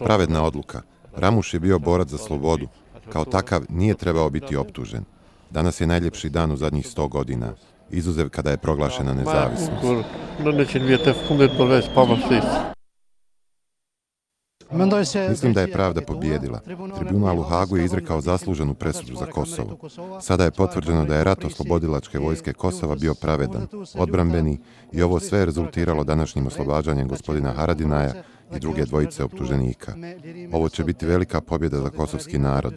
Pravedna odluka. Ramuš je bio borac za slobodu. Kao takav nije trebao biti optužen. Danas je najljepši dan u zadnjih 100 godina, izuzev kada je proglašena nezavisnost. Mislim da je pravda pobijedila. Tribunal u Hagu je izrekao zasluženu presudu za Kosovo. Sada je potvrđeno da je rat oslobodilačke vojske Kosova bio pravedan, odbrambeni i ovo sve je rezultiralo današnjim oslobađanjem gospodina Haradinaja i druge dvojice optuženika. Ovo će biti velika pobjeda za kosovski narod.